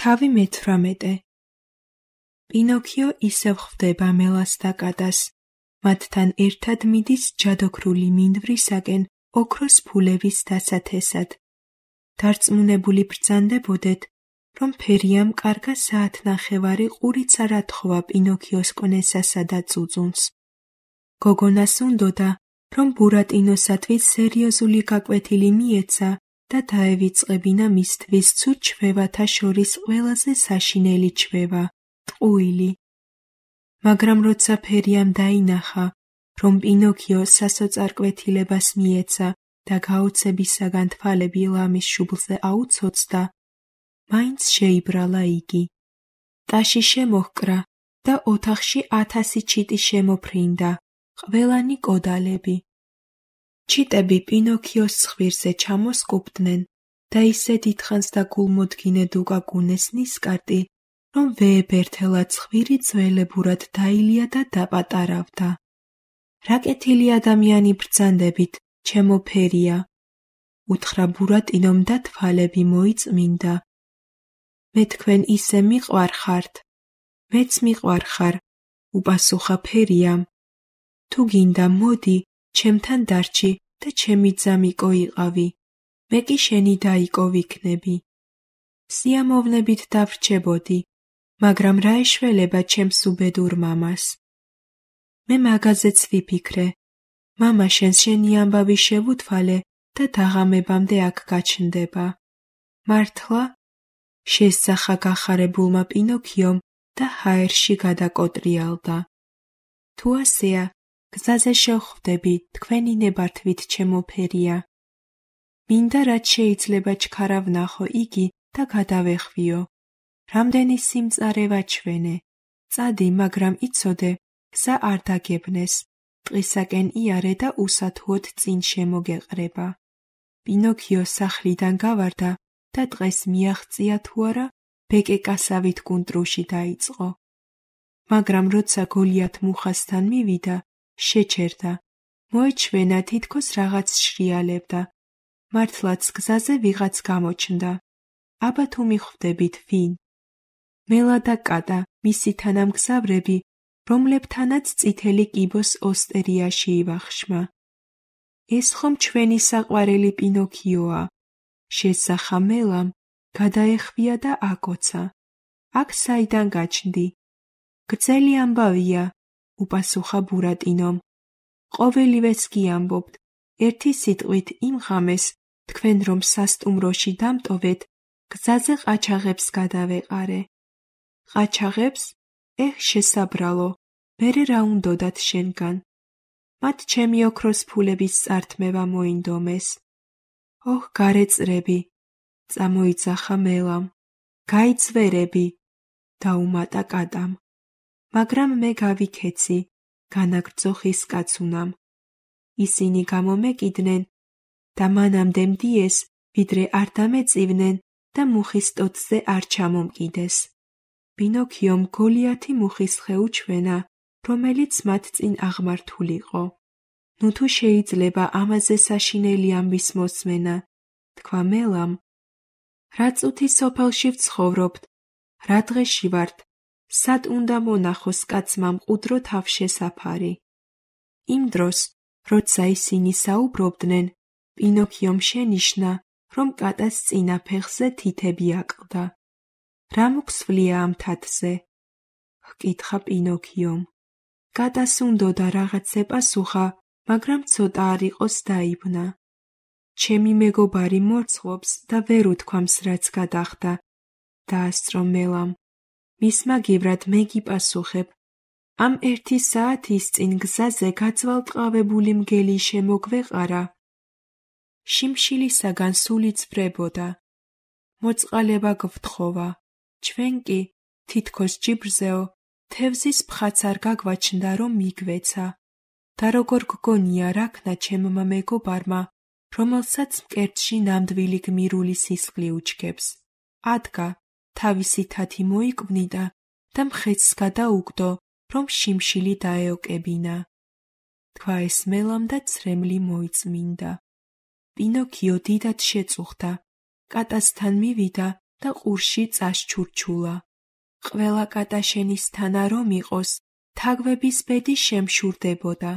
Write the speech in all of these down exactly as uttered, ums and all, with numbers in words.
თავი მეთვრამეტე. პინოქიო ისევ ხვდება მელას და კატას. მათთან ერთად მიდის ჯადოქრული მინდვრისაკენ ოქროს ფულების დასათესად. დარწმუნებული ბრძანდებოდეთ, რომ ფერიამ კარგა საათნახევარი ყურიც არ ათხოვა პინოქიოს კონესასა და წუწუნს. გოგონას უნდოდა, რომ ბურატინოსათვის სერიოზული გაკვეთილი მიეცა და დაევიწყებინა მისთვის ცუდ ჩვევათა შორის ყველაზე საშინელი ჩვევა, ტყუილი. მაგრამ როცა ფერიამ დაინახა, რომ პინოქიო სასოწარკვეთილებას მიეცა და გაოცებისაგან თვალები ლამის შუბლზე აუცოცდა, მაინც შეიბრალა იგი. ტაში შემოჰკრა და ოთახში ათასი ჩიტი შემოფრინდა, ყველანი კოდალები. ჩიტები პინოქიოს ცხვირზე ჩამოსკუპდნენ და ისე დიდხანს და გულმოდგინედ უკაკუნეს ნისკარტი, რომ ვეებერთელა ცხვირი ძველებურად დაილია და დაპატარავდა. რა კეთილი ადამიანი ბრძანდებით, ჩემო ფერია, უთხრა ბურატინომ და თვალები მოიწმინდა. მე თქვენ ისე მიყვარხართ, მეც მიყვარხარ, უპასუხა ფერიამ. თუ გინდა მოდი, ჩემთან დარჩი და ჩემი ძამიკო იყავი, მე კი შენი დაიკო ვიქნები. სიამოვნებით დავრჩებოდი, მაგრამ რა ეშველება ჩემს უბედურ მამას. მე მაგაზეც ვიფიქრე, მამა შენს შენი ამბავი შევუთვალე და დაღამებამდე აქ გაჩნდება. მართლა? შესძახა გახარებულმა პინოქიომ და ჰაერში გადაკოტრიალდა. თუ ასეა, გზაზე შევხვდები თქვენი ნებართვით ჩემო ფერია. მინდა რაც შეიძლება ჩქარა ვნახო იგი და გადავეხვიო. რამდენი სიმწარე ვაჩვენე. წადი, მაგრამ იცოდე, გზა არ დაგებნეს. ტყისაკენ იარე და უსათუოდ წინ შემოგეყრება. პინოქიო სახლიდან გავარდა და დღეს მიაღწია თუ არა, ბეკეკასავით კუნტრუში დაიწყო. მაგრამ როცა გოლიათ მუხასთან მივიდა, შეჩერდა. მოეჩვენა თითქოს რაღაც შრიალებდა. მართლაც გზაზე ვიღაც გამოჩნდა. აბა თუ მიხვდებით ვინ? მელა და კატა, მისი თანამგზავრები, რომლებთანაც წითელი კიბოს ოსტერიაში ივახშმა. ეს ხომ ჩვენი საყვარელი პინოქიოა. შესახა მელამ, გადაეხვია და აკოცა. აქ საიდან გაჩნდი? გრძელი ამბავია, უპასუხა ბურატინომ. ყოველივეს გიამბობთ, ერთი სიტყვით იმ ღამეს, თქვენ რომ სასტუმროში დამტოვეთ, გზაზე ყაჩაღებს გადავეყარე. ყაჩაღებს? ეჰ, შესაბრალო, მერე რა უნდოდათ შენგან? მათ ჩემი ოქროს ფულების წართმევა მოინდომეს. ოჰ, გარეწრები, წამოიძახა მელამ. გაიძვერები, დაუმატა კატამ. მაგრამ მე გავიქეცი, განაგრძო ხის კაცუნამ. ისინი გამომეკიდნენ და მანამდე მდიეს, ვიდრე არ დამეწივნენ და მუხის ტოტზე არ ჩამომკიდეს. პინოქიომ გოლიათი მუხის ხე უჩვენა, რომელიც მათ წინ აღმართულიყო. ნუ თუ შეიძლება ამაზე საშინელი ამბის მოსმენა, თქვა მელამ. რა წუთი სოფელში ვცხოვრობთ, რა დღეში ვართ, სად უნდა მონახოს კაცმა მყუდრო თავშესაფარი. იმ დროს, როცა ისინი საუბრობდნენ, პინოქიომ შენიშნა, რომ კატას წინა ფეხზე თითები აკლდა. რა მოგსვლია ამ თათზე? ჰკითხა პინოქიომ. კატას უნდოდა რაღაც ეპასუხა, მაგრამ ცოტა არ იყოს დაიბნა. ჩემი მეგობარი მორცხვობს და ვერ უთქვამს რაც გადახდა. დაასწრო მელამ. მის მაგივრად მე გიპასუხებ. ამ ერთი საათის წინ გზაზე გაწვალტყავებული მგელი შემოგვეყარა. შიმშილისაგან სული წვრებოდა. მოწყალება გვთხოვა. ჩვენ კი, თითქოს ჯიბრზეო, თევზის ფხაც არ გაგვაჩნდა რომ მიგვეცა. და როგორ გგონია რაქნა ჩემმა მეგობარმა, რომელსაც მკერდში ნამდვილი გმირული სისხლი უჩქებს. ადგა, თავისი თათი მოიკვნიდა და მხეცს გადაუგდო, რომ შიმშილი დაეოკებინა. თქვა ეს მელამ და ცრემლი მოიწმინდა. პინოქიო დიდად შეწუხდა. კატასთან მივიდა და ყურში წასჩურჩულა. ყველა კატა შენისთანა რომ იყოს, თაგვების ბედი შემშურდებოდა.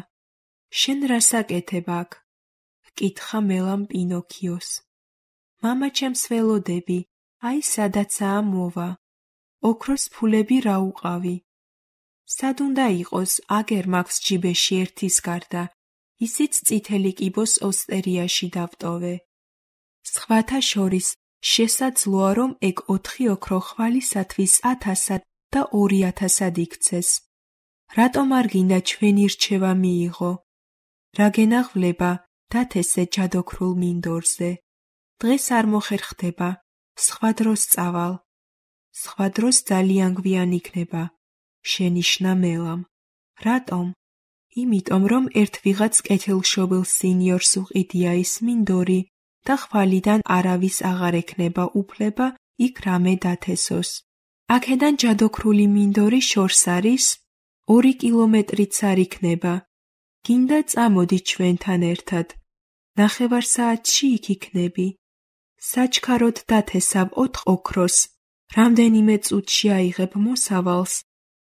შენ რას აკეთებ აქ? ჰკითხა მელამ პინოქიოს. მამაჩემს ველოდები, აი სადაცაა მოვა. ოქროს ფულები რა უყავი? სად უნდა იყოს, აგერ მაქვს ჯიბეში ერთის გარდა, ისიც წითელი კიბოს ოსტერიაში დავტოვე. სხვათა შორის შესაძლოა, რომ ეგ ოთხი ოქრო ხვალისათვის ათასად და ორი ათასად იქცეს. რატომ არ გინდა ჩვენი რჩევა მიიღო? რა გენაღვლება დათესე ჯადოქრულ მინდორზე? დღეს არ მოხერხდება, სხვა დროს წავალ. სხვა დროს ძალიან გვიან იქნება, შენიშნა მელამ. რატომ? იმიტომ, რომ ერთ ვიღაც კეთილშობილ სინიორს უყიდია ის მინდორი და ხვალიდან არავის აღარ ექნება უფლება იქ რამე დათესოს. აქედან ჯადოქრული მინდორი შორს არის, ორი კილომეტრიც არ იქნება. გინდა წამოდი ჩვენთან ერთად. ნახევარ საათში იქ იქნები. საჩქაროდ დათესავ ოთხ ოქროს. რამდენიმე წუთში აიღებ მოსავალს,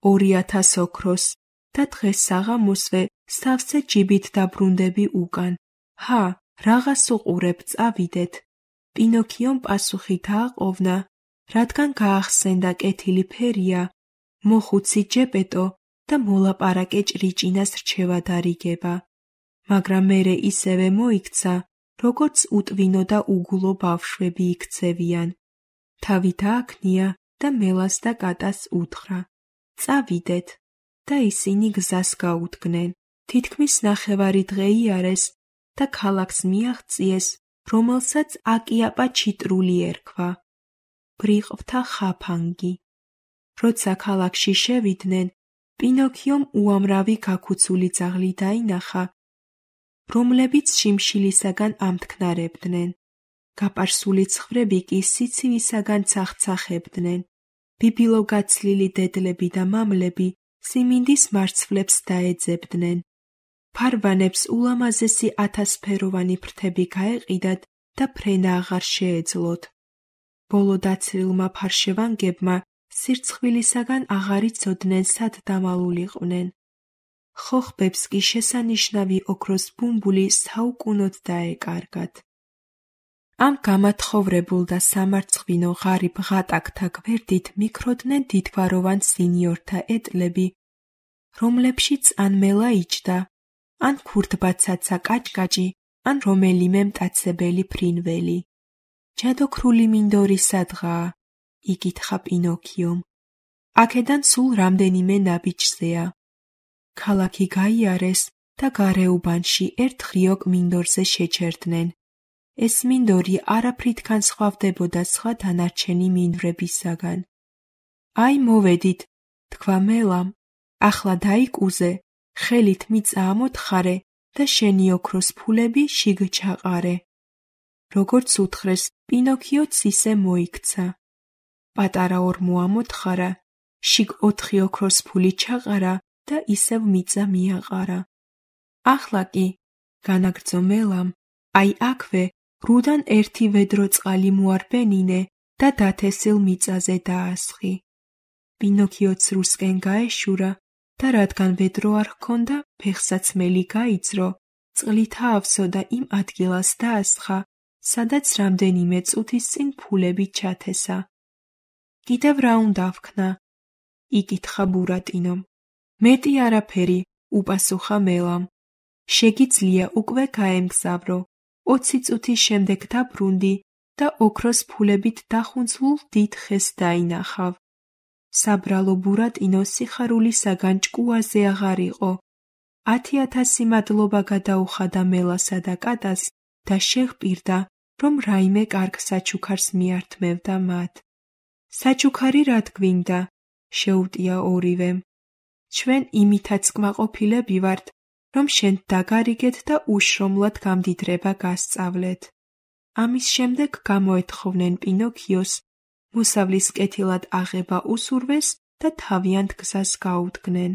ორი ათას ოქროს და დღეს საღამოსვე სავსე ჯიბით დაბრუნდები უკან. ჰა, რაღაც უყურებ, წავიდეთ. პინოქიომ პასუხი დააყოვნა, რადგან გაახსენდა კეთილი ფერია, მოხუცი ჯეპეტო და მოლაპარაკე ჭრიჭინას რჩევა დარიგება. მაგრამ მერე ისევე მოიქცა, როგორც უტვინო და უგულო ბავშვები იქცევიან. თავი დააქნია და მელას და კატას უთხრა. წავიდეთ და ისინი გზას გაუდგნენ. თითქმის ნახევარი დღე იარეს და ქალაქს მიაღწიეს, რომელსაც აკიაპა ჩიტრული ერქვა. ბრიყვთა ხაფანგი. როცა ქალაქში შევიდნენ, პინოქიომ უამრავი გაქუცული ძაღლი დაინახა, რომლებიც შიმშილისაგან ამთქნარებდნენ. გაპარსული ცხრები კი სიცივისაგან ცახცახებდნენ. ბიბილო გაცლილი დედლები და მამლები სიმინდის მარცვლებს დაეძებდნენ. ფარვანებს ულამაზესი ათასფეროვანი ფრთები გაეყიდათ და ფრენა აღარ შეეძლოთ. ბოლო დაცლილმა ფარშევანგებმა სირცხვილისაგან აღარ იცოდნენ სად დამალულიყვნენ. ხოხბებს კი შესანიშნავი ოქროს ბუმბული საუკუნოდ დაეკარგათ. ამ გამათხოვრებულ და სამარცხვინო ღარიბ ღატაკთა გვერდით მიქროდნენ დიდგვაროვან სინიორთა ეტლები, რომლებშიც ან მელა იჯდა, ან ქურდბაცაცა კაჭკაჭი, ან რომელიმე მტაცებელი ფრინველი. ჯადოქრული მინდორი სადღაა? იკითხა პინოქიომ. აქედან სულ რამდენიმე ნაბიჯზეა. ქალაქი გაიარეს და გარეუბანში ერთ ღრიოკ მინდორზე შეჩერდნენ. ეს მინდორი არაფრით განსხვავდებოდა სხვა დანარჩენი მინდვრებისაგან. აი მოვედით, თქვა მელამ, ახლა დაიკუზე, ხელით მიწა ამოთხარე და შენი ოქროს ფულები შიგ ჩაყარე. როგორც უთხრეს, პინოქიოც ისე მოიქცა. პატარა ორმო ამოთხარა, შიგ ოთხი ოქროს ფული ჩაყარა და ისევ მიწა მიაყარა. ახლა კი, განაგრძო მელამ, აი აქვე რუდან ერთი ვედრო წყალი მოარბენინე და დათესილ მიწაზე დაასხი. პინოქიოც რუსკენ გაეშურა და რადგან ვედრო არ ჰქონდა, ფეხსაც მელი გაიძრო, წყლით აავსო და იმ ადგილას დაასხა, სადაც რამდენიმე წუთის წინ ფულები ჩათესა. კიდევ რა უნდა ვქნა? იკითხა ბურატინომ. მეტი არაფერი, უპასუხა მელამ. შეგიძლია უკვე გაემგზავრო. ოცი წუთის შემდეგ დაბრუნდი და ოქროს ფულებით დახუნცლულ დიდ ხეს დაინახავ. საბრალო ბურატინო სიხარულისაგან ჭკუაზე აღარ იყო. ათი ათასი მადლობა გადაუხადა მელასა და კატას და შეჰპირდა, რომ რაიმე კარგ საჩუქარს მიართმევდა მათ. საჩუქარი რად გვინდა? შეუტია ორივემ. ჩვენ იმითაც კმაყოფილები ვართ, რომ შენ დაგარიგეთ და უშრომლად გამდიდრება გასწავლეთ. ამის შემდეგ გამოეთხოვნენ პინოქიოს, მოსავლის კეთილად აღება უსურვეს და თავიანთ გზას გაუდგნენ.